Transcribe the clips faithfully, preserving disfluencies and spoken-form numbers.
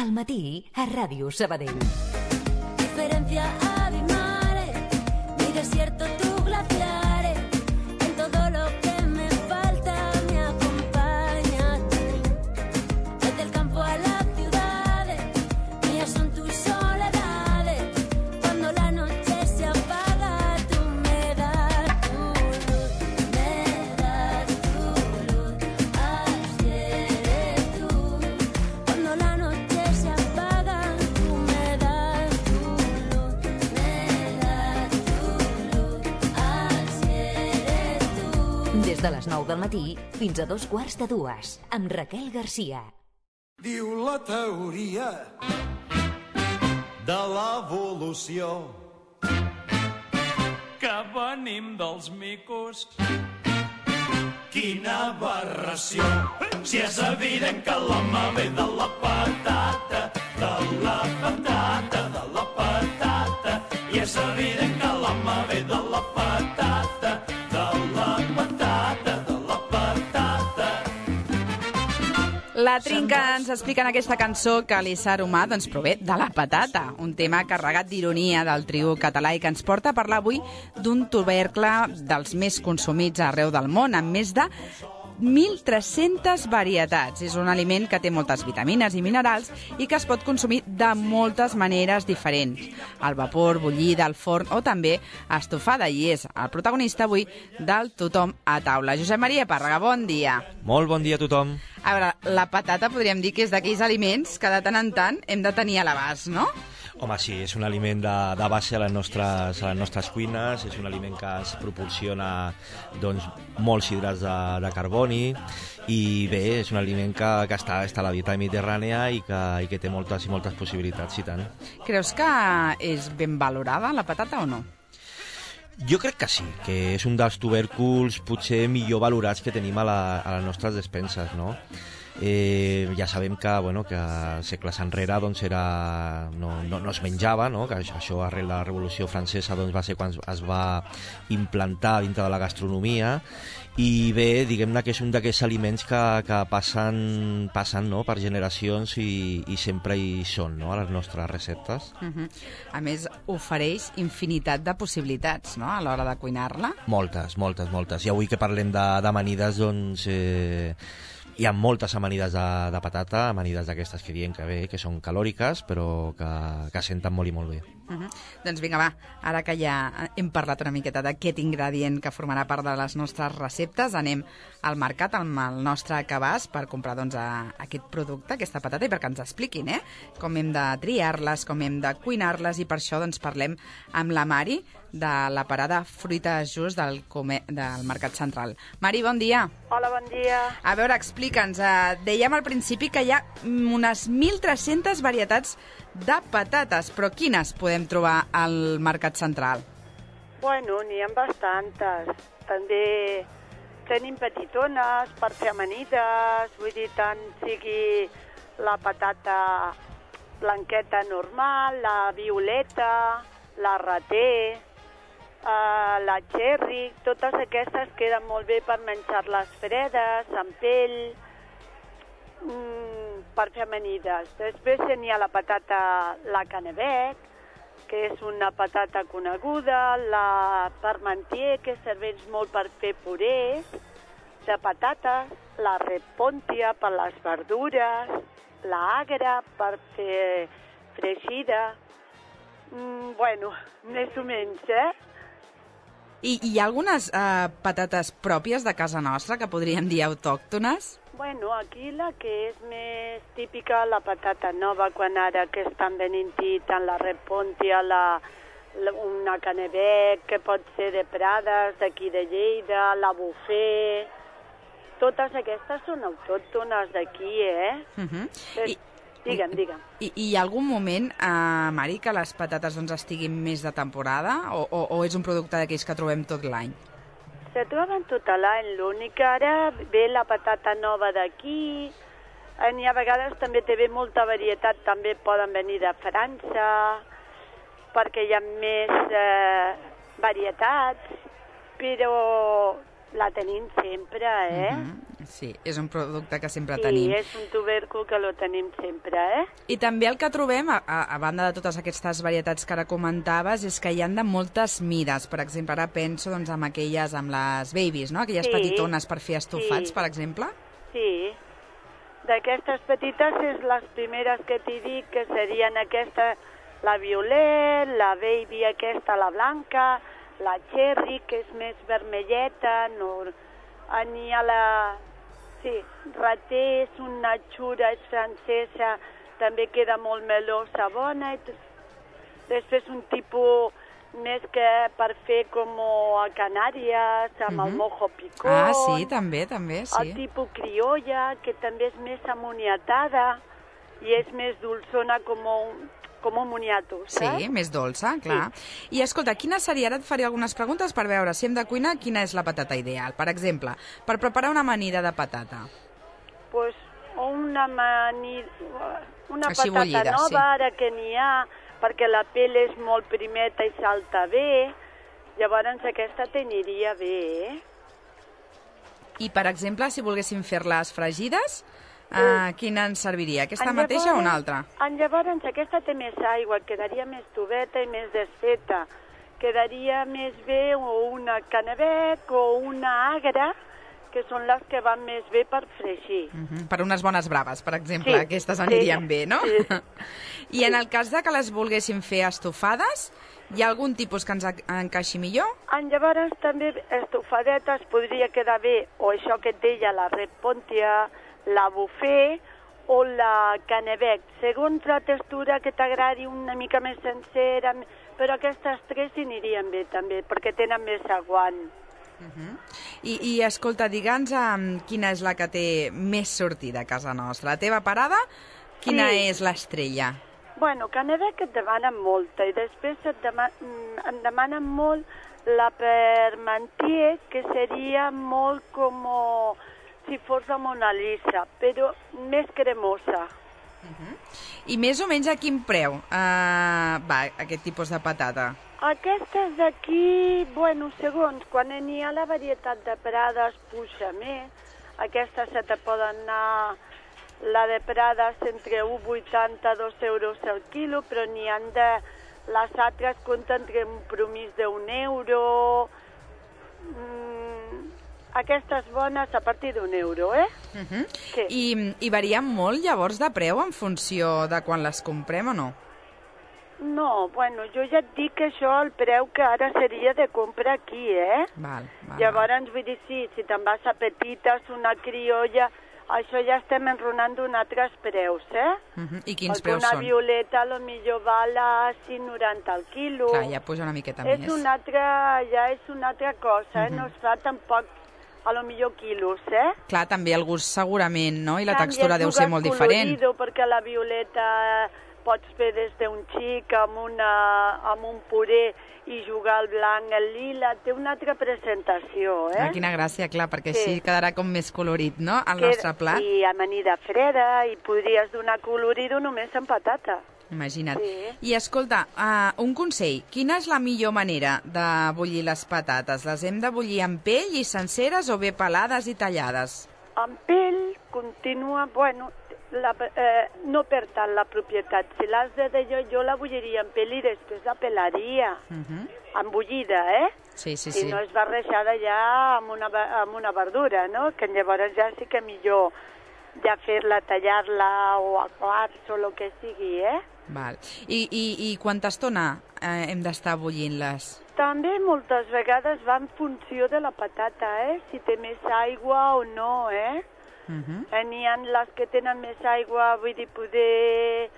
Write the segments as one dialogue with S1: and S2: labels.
S1: al matí a Ràdio Sabadell.
S2: Diferencia abismales, mi desierto, tus glaciares, en todo lo que me falta me acompañaste. Desde el campo a las ciudades, mías son tus soledades. Cuando la noche se apaga, tú me das tu luz, me das tu luz, así eres tú. Cuando la noche se apaga, tú me das tu luz, me das tu luz, así eres tú.
S1: Des de les nou del matí fins a dos quarts de dues, amb Raquel Garcia.
S3: Diu la teoria de l'evolució
S4: que venim dels micos.
S3: Quina aberració, si és evident que l'home ve de la patata, de la patata, de la patata, i és evident que l'home ve de la patata, de la patata, de la patata.
S5: La Trinca ens explica en aquesta cançó que l'ésser humà doncs, prové de la patata, un tema carregat d'ironia del trio català i que ens porta a parlar avui d'un tubercle dels més consumits arreu del món, amb més de mil tres-centes varietats. És un aliment que té moltes vitamines i minerals i que es pot consumir de moltes maneres diferents. Al vapor, bullida, al forn o també estofada, i és el protagonista avui del Tothom a taula. Josep Maria Pàrrega, bon dia.
S6: Molt bon dia a tothom.
S5: A veure, la patata podríem dir que és d'aquells aliments que de tant en tant hem de tenir a l'abast, no?
S6: Home, sí, és un aliment de, de base a les, nostres, a les nostres cuines, és un aliment que ens proporciona doncs, molts hidrats de, de carboni i bé, és un aliment que, que està, està a la dieta mediterrània i que, i que té moltes i moltes possibilitats, i tant.
S5: Creus que és ben valorada la patata o no?
S6: Jo crec que sí, que és un dels tubèrculs potser millor valorats que tenim a, la, a les nostres despenses, no? Eh, ja sabem que, bueno, que segles enrere doncs, era, no, no, no es menjava, no? Que això arrel de la Revolució Francesa doncs, va ser quan es va implantar dintre de la gastronomia, i bé, diguem-ne que és un d'aquests aliments que, que passen, passen no? per generacions i, i sempre hi són, no? A les nostres receptes.
S5: Uh-huh. A més, ofereix infinitat de possibilitats, no?, a l'hora de cuinar-la.
S6: Moltes, moltes, moltes. I avui que parlem de, d'amanides, doncs... Eh, hi ha moltes amanides de, de patata, amanides d'aquestes que diem que bé, que són calòriques, però que, que senten molt i molt bé.
S5: Uh-huh. Doncs vinga, va, ara que ja hem parlat una miqueta d'aquest ingredient que formarà part de les nostres receptes, anem al mercat amb el nostre cabàs per comprar doncs, a, aquest producte, aquesta patata, i perquè ens expliquin eh? com hem de triar-les, com hem de cuinar-les, i per això doncs, parlem amb la Mari, de la parada Fruita Just del, Come del Mercat Central. Mari, bon dia.
S7: Hola, bon dia.
S5: A veure, explica'ns. Eh, dèiem al principi que hi ha unes mil tres-centes varietats de patates, però quines podem trobar al Mercat Central?
S7: Bueno, n'hi ha bastantes. També tenim petitones per fer amanides, vull dir, tant sigui la patata blanqueta normal, la violeta, la raté, Uh, la cherry, totes aquestes queden molt bé per menjar-les fredes, amb pell, mm, per fer amanides. Després n'hi ha la patata, la canebec, que és una patata coneguda, la parmentier, que serveix molt per fer purés de patates, la repontia per les verdures, la agra per fer fregida. Mm, bueno, més o menys, eh?
S5: I hi ha algunes eh, patates pròpies de casa nostra que podríem dir autòctones?
S7: Bueno, aquí la que és més típica, la patata nova, quan ara que estan venint-hi tant la repontia, la, la, una canebec, que pot ser de Prades, d'aquí de Lleida, la bufet... Totes aquestes són autòctones d'aquí, eh?
S5: Uh-huh.
S7: Però,
S5: I...
S7: Digue'm, digue'm.
S5: I, i hi ha algun moment, eh, Mari, que les patates doncs, estiguin més de temporada o, o, o és un producte d'aquells que trobem tot l'any?
S7: Se troben tot l'any, l'únic que ara ve la patata nova d'aquí, n'hi ha vegades també té bé molta varietat, també poden venir de França, perquè hi ha més eh, varietats, però La tenim sempre, eh?
S5: Uh -huh. Sí, és un producte que sempre
S7: sí,
S5: tenim.
S7: Sí, és un tubèrcul que lo tenim sempre, eh?
S5: I també el que trobem, a, a banda de totes aquestes varietats que ara comentaves, és que hi han de moltes mides. Per exemple, ara penso doncs, en aquelles, amb les babies, no? Aquelles
S7: sí,
S5: petitones per fer estofats,
S7: sí.
S5: per exemple.
S7: Sí. D'aquestes petites és les primeres que t'hi dic, que serien aquesta, la violet, la baby aquesta, la blanca, la cherry, que és més vermelleta, no... N'hi ha la... Sí, raté és una xura, és francesa, també queda molt melosa, bona. I després un tipus més que per fer com a Canàries, amb uh-huh. el mojo picón.
S5: Ah, sí, també, també, sí.
S7: El tipus criolla, que també és més amoniatada i és més dolçona com un... com un moniato, saps?
S5: Sí, més dolça, clar. Sí. I escolta, quina seria, ara et faré algunes preguntes per veure si hem de cuinar, quina és la patata ideal. Per exemple, per preparar una amanida de patata.
S7: Pues una amanida, una
S5: Així
S7: patata
S5: bullida,
S7: nova,
S5: sí.
S7: ara que n'hi ha, perquè la pell és molt primeta i salta bé, llavors aquesta t'aniria bé, eh?
S5: I, per exemple, si volguéssim fer-les fregides, Uh, quina ens serviria? Aquesta
S7: en
S5: mateixa
S7: llavors,
S5: o una altra?
S7: En llavors aquesta té més aigua, quedaria més tubeta i més desfeta. Quedaria més bé o una canabec o una agra, que són les que van més bé per fregir.
S5: Uh -huh. Per unes bones braves, per exemple,
S7: sí,
S5: aquestes anirien
S7: sí,
S5: bé, no?
S7: Sí.
S5: I en el cas de que les volguéssim fer estofades, hi ha algun tipus que ens encaixi millor?
S7: En llavors també estofadetes podria quedar bé, o això que et deia, la red pontia, la buffet o la canebec, segons la textura que t'agradi, una mica més sencera, però aquestes tres anirien bé també, perquè tenen més aguant.
S5: Uh -huh. I, I, escolta, digue'ns um, quina és la que té més sortida a casa nostra. La teva parada, quina
S7: sí.
S5: és l'estrella?
S7: Bueno, canebec et demanen molta, i després et dema em demanen molt la Parmentier, que seria molt com... si fos la Mona Lisa, però més cremosa.
S5: Uh-huh. I més o menys a quin preu uh, va aquest tipus de patata?
S7: Aquestes d'aquí, bueno, segons, quan n'hi ha la varietat de Prades puja més. Aquestes se te poden anar, la de Prades entre un coma vuitanta i dos euros al quilo, però n'hi ha de... Les altres compten entre un promís d'un euro... Mm, aquestes bones a partir d'un euro, eh?
S5: Uh-huh. I, I varien molt, llavors, de preu en funció de quan les comprem o no?
S7: No, bueno, jo ja et dic que això el preu que ara seria de comprar aquí, eh?
S5: Val, val,
S7: llavors,
S5: val.
S7: vull dir, sí, si te'n vas a petites, una criolla, això ja estem enronant d'un altres preus, eh?
S5: Uh-huh. I quins
S7: Perquè
S5: preus
S7: una
S5: són?
S7: Una violeta a lo millor val a cinc coma noranta al quilo.
S5: Clar, ja puja una miqueta
S7: és
S5: més.
S7: Una altra, ja és una altra cosa, eh?
S5: Uh-huh.
S7: No es fa tampoc a lo millor quilos, eh?
S5: Clar, també el gust segurament, no? I la
S7: Tant,
S5: textura
S7: ja
S5: deu ser molt diferent.
S7: Perquè la violeta pots fer des d'un xic amb, una, amb un puré i jugar al blanc, el lila, té una altra presentació, eh?
S5: Ah, quina gràcia, clar, perquè
S7: sí.
S5: així quedarà com més colorit, no?, el
S7: que,
S5: nostre plat.
S7: I amanida freda, i podries donar colorido només amb patata.
S5: Imagina't.
S7: Sí.
S5: I escolta, uh, un consell, quina és la millor manera de bullir les patates? Les hem de bullir amb pell i senceres o bé pelades i tallades?
S7: Amb pell continua, bueno, la, eh, no per tant la propietat. Si l'has de jo, jo la bulliria amb pell i després la pelaria.
S5: Uh -huh.
S7: Amb bullida, eh?
S5: Sí, sí,
S7: si
S5: sí.
S7: no és barrejada ja amb una, amb una verdura, no? Que llavors ja sí que millor ja fer-la, tallar-la o a quarts o el que sigui, eh?
S5: Val. I, i, i quanta estona eh, hem d'estar bullint-les?
S7: També moltes vegades va en funció de la patata, eh? Si té més aigua o no, eh?
S5: Uh-huh.
S7: N'hi ha les que tenen més aigua, vull dir, poder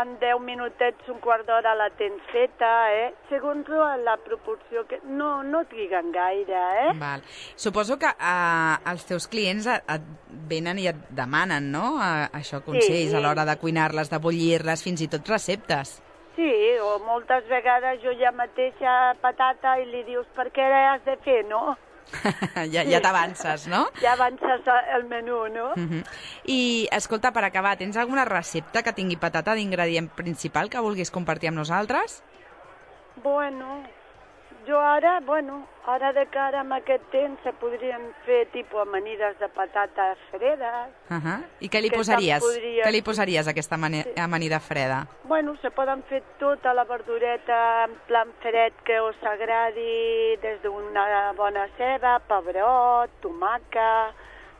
S7: en deu minutets, un quart d'hora la tens feta, eh? Segons la proporció que... No, no triguen gaire, eh?
S5: Val. Suposo que eh, els teus clients et, et venen i et demanen, no?, a, això, consells,
S7: sí.
S5: a l'hora de cuinar-les, de bullir-les, fins i tot receptes.
S7: Sí, o moltes vegades jo ja mateixa patata i li dius per què has de fer, no?
S5: ja ja t'avances, no?
S7: Ja avances el menú, no?
S5: Uh -huh. I, escolta, per acabar, tens alguna recepta que tingui patata d'ingredient principal que vulguis compartir amb nosaltres?
S7: Bueno, jo ara, bueno, ara de cara amb aquest temps se podrien fer tipus amanides de patata fredes.
S5: Uh -huh. I què li
S7: Que
S5: posaries?
S7: se'n podria-
S5: Què li posaries a aquesta mani- amanida freda?
S7: Bueno, se poden fer tota la verdureta en plan fred que us agradi, des d'una bona ceba, pebrot, tomaca,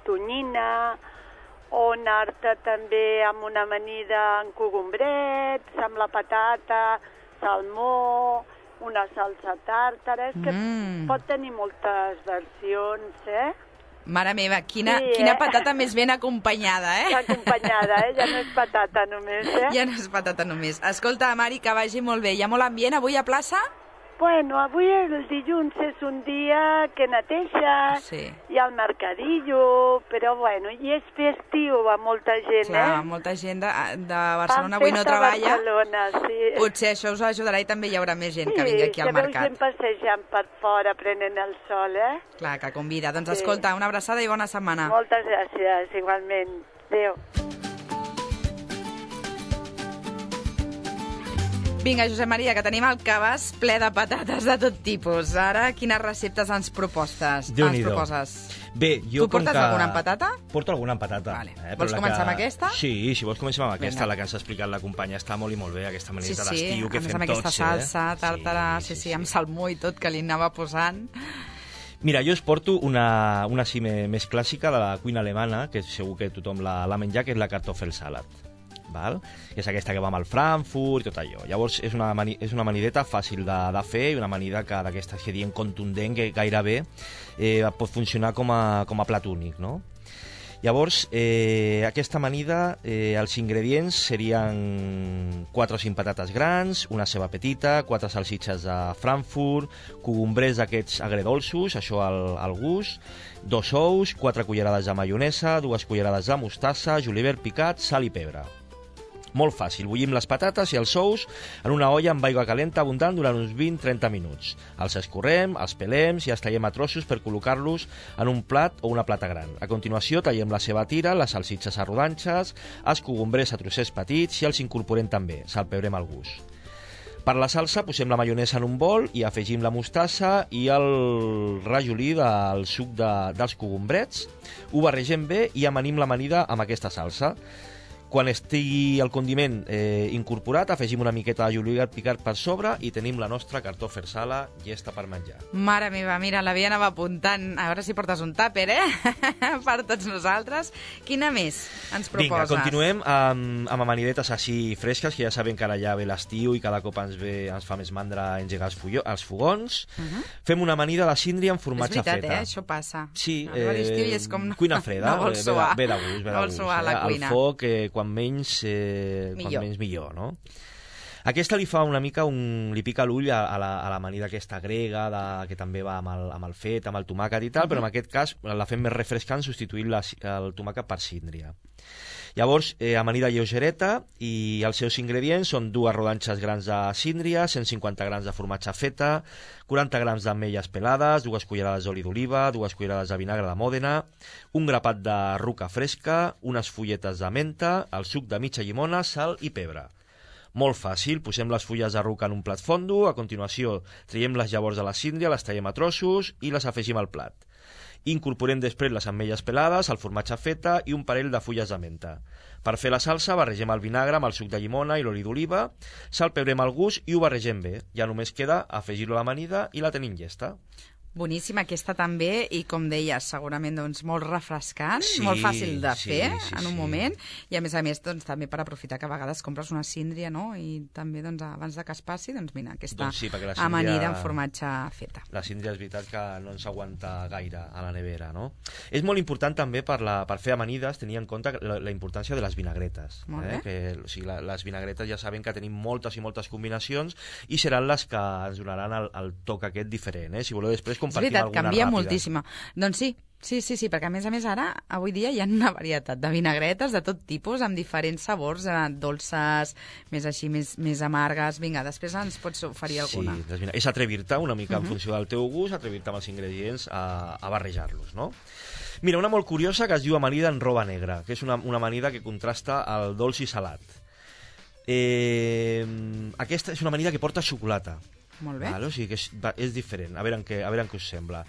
S7: tonyina, o anar-te també amb una amanida en cogombrets, amb la patata, salmó, una salsa tàrtara, és que
S5: Mm.
S7: pot tenir moltes versions, eh?
S5: Mare meva, quina,
S7: Sí,
S5: quina
S7: eh?
S5: patata més ben acompanyada, eh?
S7: Acompanyada, eh? Ja no és patata només, eh?
S5: Ja no és patata només. Escolta, Mari, que vagi molt bé. Hi ha molt ambient avui a plaça?
S7: Bueno, avui el dilluns és un dia que neteja,
S5: Sí.
S7: hi ha el mercadillo, però bueno, i és festiu a molta gent,
S5: Clar,
S7: eh?
S5: molta gent de, de Barcelona
S7: Fan
S5: avui no
S7: festa a
S5: treballa.
S7: Barcelona, sí.
S5: Potser això us ajudarà i també hi haurà més gent
S7: Sí,
S5: que vingui aquí al
S7: que veu
S5: mercat.
S7: gent passejant per fora, prenent el sol, eh?
S5: Clar, que convida. Doncs
S7: Sí.
S5: escolta, una abraçada i bona setmana.
S7: Moltes gràcies, igualment. Adéu.
S5: Vinga, Josep Maria, que tenim el cabàs ple de patates de tot tipus. Ara, quines receptes ens propostes? Ens
S6: Déu-n'hi-do.
S5: proposes?
S6: Bé, jo
S5: Tu portes
S6: com que...
S5: alguna amb patata?
S6: Porto alguna amb patata.
S5: Vale.
S6: Eh?
S5: Vols
S6: Però la
S5: començar
S6: que...
S5: amb aquesta?
S6: Sí, si vols comencem amb aquesta,
S5: Vinga.
S6: la que ens ha explicat la companya. Està molt i molt bé, aquesta
S5: Sí,
S6: manera
S5: sí,
S6: d'estiu que
S5: a més
S6: fem
S5: amb aquesta
S6: tots,
S5: salsa,
S6: eh?
S5: tàrtara, sí, sí, amb salmó i tot, que li anava posant.
S6: Mira, jo us porto una, una sí me- més clàssica de la cuina alemana, que segur que tothom l'ha l'ha menjat, que és la Kartoffelsalat. Val? És aquesta que va amb el Frankfurt i tot allò. Llavors, és una, mani, és una amanideta fàcil de, de fer i una amanida que d'aquestes que diem contundent, que gairebé eh, pot funcionar com a, com a plat únic, no? Llavors, eh, aquesta amanida, eh, els ingredients serien quatre o cinc patates grans, una ceba petita, quatre salsitxes de Frankfurt, cogombrers d'aquests agredolços, això al, al gust, dos ous, quatre cullerades de maionesa, dues cullerades de mostassa, julivert picat, sal i pebre. Molt fàcil, bullim les patates i els ous en una olla amb aigua calenta abundant durant uns vint a trenta minuts. Els escorrem, els pelem i els tallem a trossos per col·locar-los en un plat o una plata gran. A continuació tallem la ceba a tira, les salsitxes a rodanxes, els cogombrers a trossets petits i els incorporem també, salpebrem al gust. Per la salsa posem la maionesa en un bol i afegim la mostassa i el rajolí del suc de, dels cogombrets. Ho barregem bé i amanim l'amanida amb aquesta salsa. Quan estigui el condiment eh, incorporat, afegim una miqueta de julivert picat per sobre i tenim la nostra Kartoffelsalat llesta per menjar.
S5: Mare meva, mira, la Via anava apuntant. A veure si portes un tàper, eh? Per tots nosaltres. Quina més ens proposes?
S6: Vinga, continuem amb, amb amanidetes així fresques, que ja sabem que ara ja ve l'estiu i cada cop ens, ve, ens fa més mandra engegar els, fullo, els fogons. Uh -huh. Fem una amanida de síndria amb formatge
S5: És veritat,
S6: feta.
S5: eh? Això passa.
S6: Sí,
S5: Arriba l'estiu i és com...
S6: eh, cuina freda,
S5: no vol
S6: eh, ve,
S5: suar.
S6: de, ve de gust, ve de
S5: no vol
S6: gust.
S5: suar a la
S6: eh?
S5: cuina.
S6: El foc, eh, quan menys, eh,
S5: Millor.
S6: quan menys millor, no? Aquesta li fa una mica un... li pica l'ull a, a la- a l'amanida aquesta grega, de, que també va amb el, amb el fet, amb el tomàquet i tal, però en aquest cas la fem més refrescant substituint la, el tomàquet per síndria. Llavors, eh, amanida lleugereta i els seus ingredients són dues rodanxes grans de síndria, cent cinquanta grams de formatge feta, quaranta grams d'ametlles pelades, dues cullerades d'oli d'oliva, dues cullerades de vinagre de Mòdena, un grapat de ruca fresca, unes fulletes de menta, el suc de mitja llimona, sal i pebre. Molt fàcil, posem les fulles de ruca en un plat fondo, a continuació traiem les llavors de la síndria, les tallem a trossos i les afegim al plat. Incorporem després les ametlles pelades, el formatge feta i un parell de fulles de menta. Per fer la salsa barregem el vinagre amb el suc de llimona i l'oli d'oliva, salpebrem al gust i ho barregem bé. Ja només queda afegir-lo a l'amanida i la tenim llesta.
S5: Boníssima aquesta també, i com deies, segurament doncs, molt refrescant,
S6: Sí,
S5: molt fàcil de
S6: sí,
S5: fer
S6: sí,
S5: en un
S6: sí.
S5: moment, i a més a més doncs, també per aprofitar que a vegades compres una síndria, no? I també doncs, abans de que es passi, doncs mira, aquesta
S6: Doncs sí, perquè la síndria-
S5: amanida amb formatge feta.
S6: La síndria és veritat que no ens aguanta gaire a la nevera, no? És molt important també per, la, per fer amanides tenir en compte la, la importància de les vinagretes.
S5: Molt
S6: Eh?
S5: bé.
S6: Que, o sigui, la, les vinagretes ja saben que tenim moltes i moltes combinacions i seran les que ens donaran el, el toc aquest diferent. Eh? Si voleu després
S5: És
S6: compartim
S5: veritat,
S6: alguna
S5: canvia
S6: ràpida.
S5: moltíssima. Doncs sí, sí, sí, sí, perquè a més a més ara, avui dia, hi ha una varietat de vinagretes de tot tipus, amb diferents sabors, eh, dolces, més així, més, més amargues. Vinga, després ens pots oferir alguna.
S6: Sí, les vina- és atrevir-te una mica en funció del teu gust, atrevir-te amb els ingredients a, a barrejar-los, no? Mira, una molt curiosa que es diu amanida en roba negra, que és una, una amanida que contrasta el dolç i salat. Eh, aquesta és una amanida que porta xocolata.
S5: Molt bé.
S6: Vale? O sigui que és, és diferent, a veure en què, a veure en què us sembla.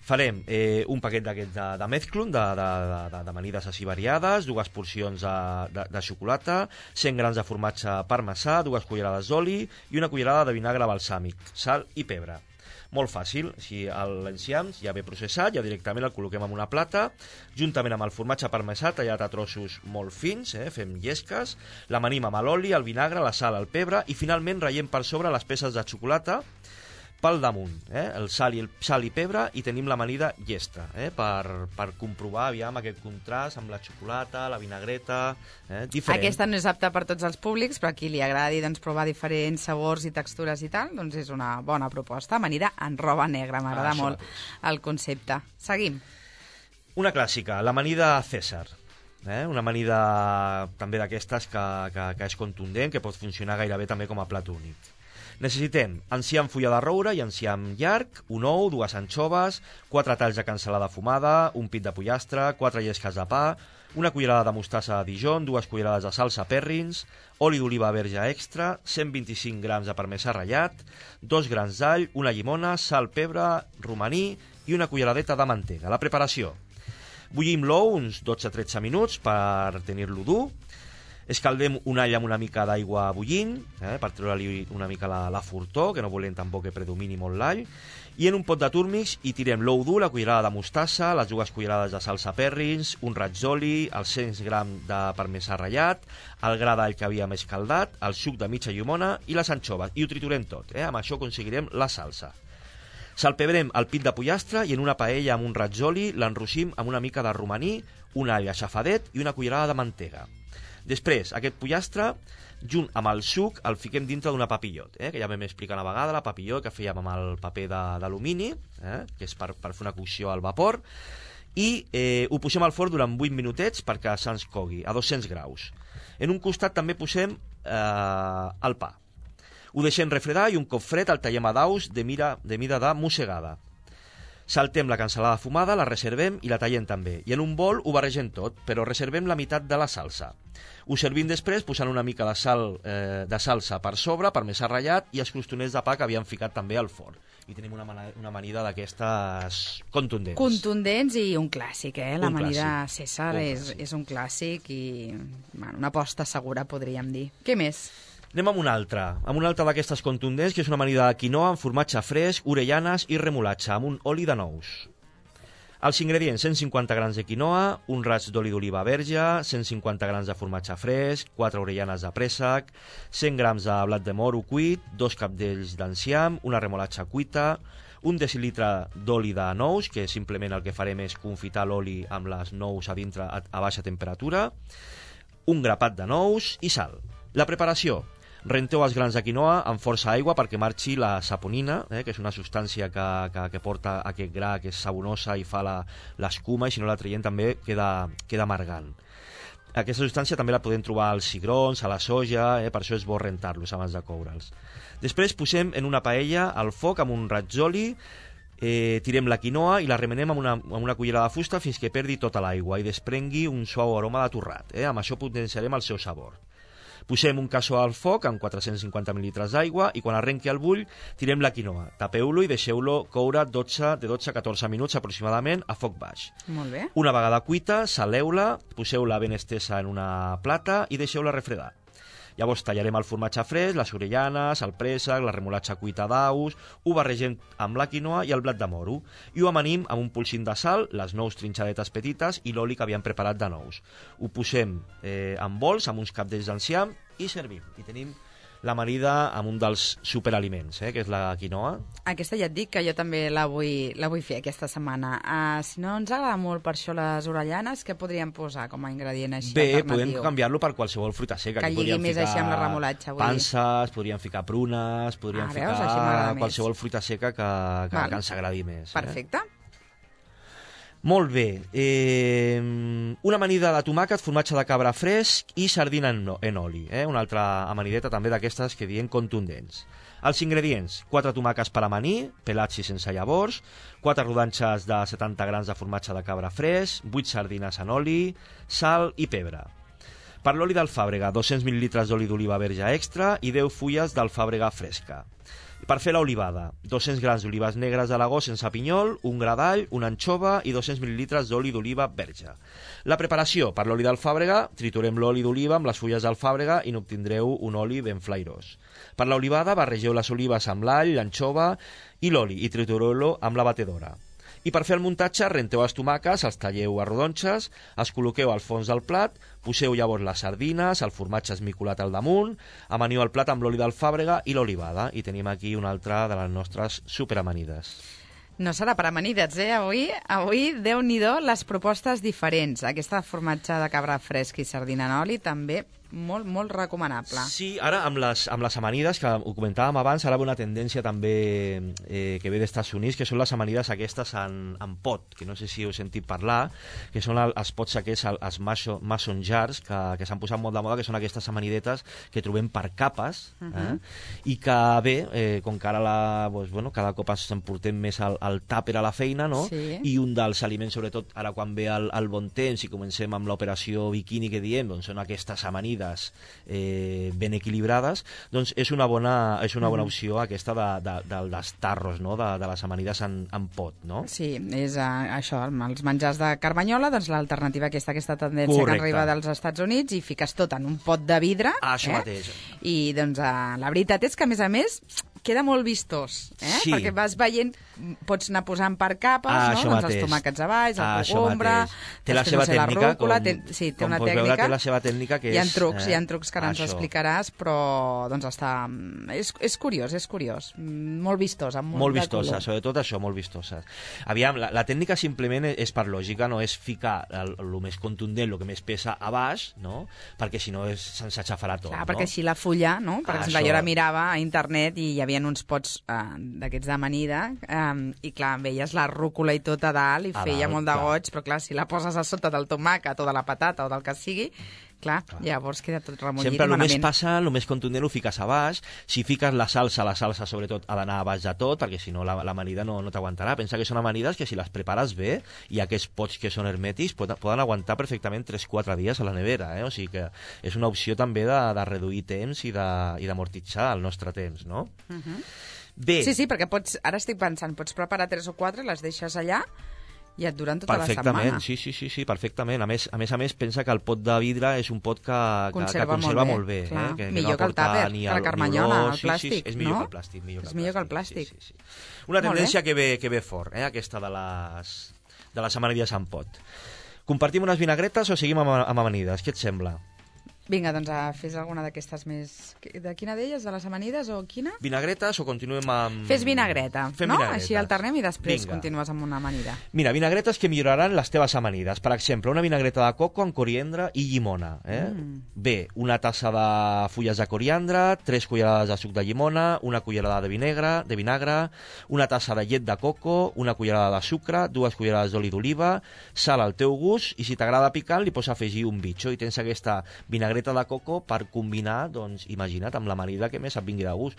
S6: Farem eh, un paquet d'aquests de, de mezclun, de, de, de, d'amanides així variades, dues porcions de, de, de xocolata, cent grams de formatge parmesà, dues cullerades d'oli i una cullerada de vinagre balsàmic, sal i pebre. Molt fàcil, si l'enciam ja ve processat, ja directament el col·loquem en una plata, juntament amb el formatge parmesà tallat a trossos molt fins, eh, fem llesques, l'amanim amb l'oli, el vinagre, la sal, el pebre i finalment ratllem per sobre les peces de xocolata pel damunt, eh, el sal i el sal i pebre, i tenim l'amanida llesta, eh, per, per comprovar aviam aquest contrast amb la xocolata, la vinagreta, eh, diferent.
S5: Aquesta no és apta per tots els públics, però a qui li agradi doncs, provar diferents sabors i textures i tal, doncs és una bona proposta. Amanida en roba negra, m'agrada
S6: Ah,
S5: molt el concepte. Seguim.
S6: Una clàssica, l'amanida César. Eh? Una amanida també d'aquestes que, que, que és contundent, que pot funcionar gairebé també com a plat únic. Necessitem enciam fulla de roure i enciam llarg, un ou, dues anxoves, quatre talls de cansalada fumada, un pit de pollastre, quatre llesques de pa, una cullerada de mostassa de Dijon, dues cullerades de salsa Perrins, oli d'oliva verge extra, cent vint-i-cinc grams de parmesà ratllat, dos grans d'all, una llimona, sal, pebre, romaní i una culleradeta de mantega. La preparació. Bullim l'ou uns dotze a tretze minuts per tenir-lo dur. Escaldem un all amb una mica d'aigua bullint, eh, per treure-li una mica la, la fortor, que no volem tampoc que predomini molt l'all, i en un pot de túrmix hi tirem l'ou dur, la cullerada de mostassa, les dues cullerades de salsa Perrins, un raig d'oli, els cent grams de parmesà ratllat, el gra d'all que havíem escaldat, el suc de mitja llimona i les anxoves, i ho triturem tot. Eh? Amb això aconseguirem la salsa. Salpebrem el pit de pollastre i en una paella amb un raig d'oli l'enrossim amb una mica de romaní, un all aixafadet i una cullerada de mantega. Després, aquest pollastre, junt amb el suc, el fiquem dintre d'una papillot, eh, que ja vam explicar una vegada, la papillot que fèiem amb el paper d'alumini, eh, que és per, per fer una cocció al vapor, i eh, ho posem al forn durant vuit minutets perquè se'ns cogui, a dos-cents graus. En un costat també posem eh, el pa. Ho deixem refredar i un cop fred el tallem a daus de, mira, de mida de mossegada. Saltem la cansalada fumada, la reservem i la tallem també. I en un bol ho barregem tot, però reservem la meitat de la salsa. Ho servim després posant una mica de sal eh, de salsa per sobre, parmesà ratllat i els crostoners de pa que havíem ficat també al forn. I tenim una, una amanida d'aquestes contundents.
S5: Contundents i un clàssic, eh? L'amanida César
S6: Un
S5: és,
S6: clàssic.
S5: és un clàssic i bueno, una aposta segura, podríem dir. Què més?
S6: Anem amb una altra, amb una altra d'aquestes contundents, que és una amanida de quinoa amb formatge fresc, orellanes i remolatge, amb un oli de nous. Els ingredients: cent cinquanta grams de quinoa, un raig d'oli d'oliva verge, cent cinquanta grams de formatge fresc, quatre orellanes de préssec, cent grams de blat de moro cuit, dos capdells d'enciam, una remolatxa cuita, un decilitre d'oli de nous, que simplement el que farem és confitar l'oli amb les nous a dintre a, a baixa temperatura, un grapat de nous i sal. La preparació: renteu els grans de quinoa amb força aigua perquè marxi la saponina, eh, que és una substància que, que, que porta aquest gra, que és sabonosa i fa l'escuma, i si no la traiem també queda, queda amargant. Aquesta substància també la podem trobar als cigrons, a la soja, eh, per això és bo rentar-los abans de coure'ls. Després posem en una paella al foc amb un raig d'oli, eh, tirem la quinoa i la remenem amb una, amb una cullera de fusta fins que perdi tota l'aigua i desprengui un suau aroma de torrat. Eh? Amb això potenciarem el seu sabor. Posem un cassó al foc amb quatre-cents cinquanta mil·litres d'aigua i quan arrenqui el bull tirem la quinoa, tapeu-lo i deixeu-lo coure dotze, de dotze a catorze minuts aproximadament a foc baix.
S5: Molt bé.
S6: Una vegada cuita, saleu-la, poseu-la ben estesa en una plata i deixeu-la refredar. Llavors tallarem el formatge fresc, les orellanes, el préssec, la remolatxa cuita d'aus, ho barregem amb la quinoa i el blat de moro i ho amanim amb un polsim de sal, les nous trinxadetes petites i l'oli que havíem preparat de nous. Ho posem eh, en bols amb uns capdells d'enciam i servim. I tenim l'amanida amb un dels superaliments, eh, que és la quinoa.
S5: Aquesta ja et dic que jo també la vull, la vull fer aquesta setmana. Uh, si no ens agrada molt per això les orellanes, què podríem posar com a ingredient així
S6: Bé,
S5: alternatiu?
S6: podem canviar-lo per qualsevol fruita seca.
S5: Que lligui més així amb la remolatxa, vull dir.
S6: Panses, podríem ficar prunes, podríem
S5: Ah,
S6: ficar
S5: veus? Així m'agrada més.
S6: qualsevol fruita seca que, que,
S5: Val.
S6: que ens agradi més.
S5: Perfecte.
S6: Eh? Molt bé. Eh, una amanida de tomàquet, formatge de cabra fresc i sardina en, en oli. Eh? Una altra amanideta també d'aquestes que diem contundents. Els ingredients: quatre tomàquets per amanir, pelats i sense llavors, quatre rodanxes de setanta grams de formatge de cabra fresc, vuit sardines en oli, sal i pebre. Per l'oli d'alfàbrega, dos-cents mil·lilitres d'oli d'oliva verge extra i deu fulles d'alfàbrega fresca. Per fer l'olivada, dos-cents grams d'olives negres d'Aragó sense pinyol, un gra d'all, una anxova i dos-cents mil·lilitres d'oli d'oliva verge. La preparació: per l'oli d'alfàbrega, triturem l'oli d'oliva amb les fulles d'alfàbrega i n'obtindreu un oli ben flairós. Per l'olivada, barregeu les olives amb l'all, l'anxova i l'oli i tritureu-lo amb la batedora. I per fer el muntatge, renteu els tomàquets, els talleu a rodonxes, els col·loqueu al fons del plat, poseu llavors les sardines, el formatge esmicolat al damunt, amaniu el plat amb l'oli d'alfàbrega i l'olivada. I tenim aquí una altra de les nostres superamanides.
S5: No serà per amanides, eh? Avui, avui Déu-n'hi-do, les propostes diferents. Aquesta formatge de cabra fresc i sardina en oli també molt, molt recomanable.
S6: Sí, ara amb les, amb les amanides, que ho comentàvem abans, ara ve una tendència també eh, que ve dels Estats Units, que són les amanides aquestes en, en pot, que no sé si heu sentit parlar, que són el, els pots aquests, els mason, mason jars, que, que s'han posat molt de moda, que són aquestes amanidetes que trobem per capes, uh -huh. eh? I que bé, eh, com que ara la, doncs, bueno, cada cop ens emportem més al, al tàper a la feina, no?
S5: Sí.
S6: I un dels aliments, sobretot ara quan ve el, el bon temps i comencem amb l'operació biquini que diem, doncs són aquestes amanides Eh, ben equilibrades, doncs és una bona, és una bona opció aquesta de, de, de, dels tarros, no? de, de les amanides en, en pot, no?
S5: Sí, és uh, això, els menjars de Carmanyola, doncs l'alternativa aquesta, aquesta tendència
S6: Correcte.
S5: que arriba dels Estats Units, i fiques tot en un pot de vidre.
S6: Ah, això
S5: eh?
S6: mateix.
S5: I doncs uh, la veritat és que, a més a més, queda molt vistós, eh?
S6: Sí.
S5: Perquè vas veient, pots anar posant per capes,
S6: Ah,
S5: no?
S6: això
S5: Doncs
S6: mateix.
S5: els tomàquets a baix, el
S6: Ah, això
S5: cogombre,
S6: mateix. Té la
S5: després,
S6: seva
S5: no sé, la
S6: tècnica,
S5: rúcula,
S6: com-
S5: té, sí, té
S6: com
S5: una
S6: pots veure,
S5: tècnica.
S6: té la seva tècnica que
S5: hi ha
S6: és,
S5: trucs,
S6: eh,
S5: hi ha trucs que ara ens
S6: això.
S5: explicaràs, però doncs està... És, és curiós, és curiós. Molt vistosa, molt,
S6: Molt
S5: de
S6: vistosa,
S5: color.
S6: sobretot això, molt vistosa. Aviam, la, la tècnica simplement és per lògica, no és ficar el, el més contundent, el que més pesa a baix, no? Perquè si no és, se'ns aixafarà tot,
S5: Clar,
S6: no?
S5: perquè així la fulla, no? Per
S6: Ah,
S5: exemple,
S6: això.
S5: jo ara mirava a internet i hi havia uns pots eh, d'aquests d'amanida eh, i clar, veies la rúcula i tot a dalt i
S6: A
S5: feia
S6: dalt,
S5: molt de
S6: clar.
S5: goig, però clar, si la poses a sota del tomàquet o de la patata o del que sigui, clar, clar. llavors queda tot remollit
S6: Sempre
S5: i
S6: el més
S5: malament.
S6: passa, el més contundent ho fiques a baix. Si fiques la salsa, la salsa sobretot ha d'anar a baix de tot, perquè si no la- l'amanida no, no t'aguantarà. Pensa que són amanides que si les prepares bé, i aquests pots que són hermètics poden, poden aguantar perfectament tres quatre dies a la nevera, eh? O sigui que és una opció també de, de reduir temps i de- i d'amortitzar el nostre temps, no?
S5: Uh -huh.
S6: Bé,
S5: Sí, sí, perquè pots, ara estic pensant, pots preparar tres o quatre, les deixes allà i et duren tota la
S6: perfectament,
S5: setmana.
S6: sí, sí, sí, sí, perfectament. A més, a més a més, pensa que el pot de vidre és un pot que, que
S5: Conserva
S6: que conserva
S5: molt
S6: molt
S5: bé,
S6: bé,
S5: clar.
S6: eh? que,
S5: Millor
S6: no
S5: que el
S6: aporta
S5: tàper,
S6: ni
S5: que la
S6: el- ni
S5: carmanyola,
S6: olor.
S5: el
S6: Sí,
S5: plàstic,
S6: sí, sí, és millor
S5: no?
S6: que el plàstic. Millor
S5: És
S6: que el
S5: millor que el
S6: plàstic,
S5: plàstic.
S6: Sí, sí, sí. Una
S5: Molt
S6: tendència
S5: bé.
S6: que ve, que ve fort, eh? aquesta de les, de les amanides en pot. Compartim unes vinagretes o seguim amb, amb amanides? Què et sembla?
S5: Vinga, doncs a fes alguna d'aquestes més... De quina d'elles? De les amanides o quina?
S6: Vinagretes o continuem amb...
S5: Fes vinagreta,
S6: Fem
S5: no?
S6: vinagretes.
S5: Així alternem i després
S6: Vinga.
S5: continues amb una amanida.
S6: Mira, vinagretes que milloraran les teves amanides. Per exemple, una vinagreta de coco amb coriandre i llimona. Eh?
S5: Mm.
S6: Bé, una tassa de fulles de coriandre, tres cullerades de suc de llimona, una cullerada de vinagre, de vinagre, una tassa de llet de coco, una cullerada de sucre, dues cullerades d'oli d'oliva, sal al teu gust, i si t'agrada picant li pots afegir un bitxo, i tens aquesta vinagreta de coco per combinar, doncs, imagina't, amb l'amanida que més et vingui de gust.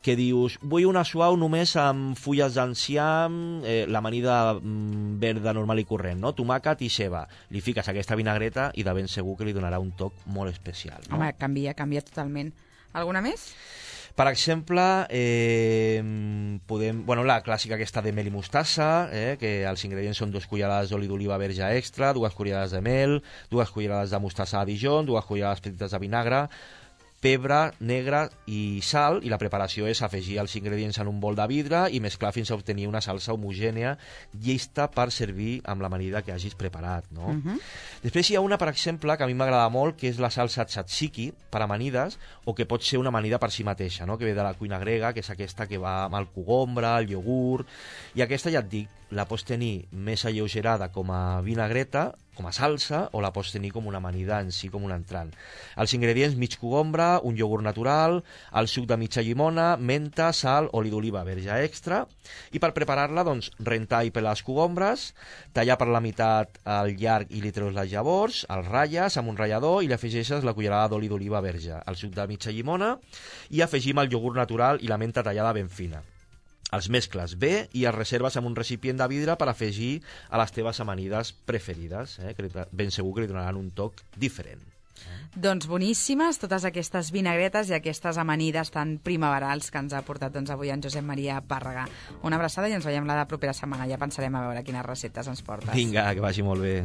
S6: Que dius, vull una suau només amb fulles d'enciam, eh, l'amanida mm, verda normal i corrent, no? Tomàquet i ceba. Li fiques aquesta vinagreta i de ben segur que li donarà un toc molt especial, no?
S5: Home, canvia, canvia totalment. Alguna més?
S6: Per exemple, eh, podem, bueno, la clàssica aquesta de mel i mostassa, eh, que els ingredients són dues cullerades d'oli d'oliva verge extra, dues cullerades de mel, dues cullerades de mostassa a Dijon, dues cullerades petites de vinagre, pebre negre i sal, i la preparació és afegir els ingredients en un bol de vidre i mesclar fins a obtenir una salsa homogènia llesta per servir amb l'amanida que hagis preparat, no?
S5: Uh-huh.
S6: Després hi ha una, per exemple, que a mi m'agrada molt, que és la salsa tzatziki per amanides, o que pot ser una amanida per si mateixa, no? Que ve de la cuina grega, que és aquesta que va amb el cogombre, el iogurt, i aquesta, ja et dic, la pots tenir més alleugerada com a vinagreta, com a salsa, o la pots tenir com una amanida en si, com un entrant. Els ingredients: mig cogombre, un iogurt natural, el suc de mitja llimona, menta, sal, oli d'oliva verge extra, i per preparar-la, doncs, rentar i pelar els cogombres, tallar per la meitat el llarg i li treus les llavors, els ratlles amb un ratllador i li afegeixes la cullerada d'oli d'oliva verge, el suc de mitja llimona, i afegim el iogurt natural i la menta tallada ben fina. Els mescles bé i els reserves en un recipient de vidre per afegir a les teves amanides preferides, eh? Que ben segur que li donaran un toc diferent.
S5: Doncs boníssimes totes aquestes vinagretes i aquestes amanides tan primaverals que ens ha portat doncs, avui en Josep Maria Pàrraga. Una abraçada i ens veiem la propera setmana. Ja pensarem a veure quines receptes ens portes.
S6: Vinga, que vagi molt bé.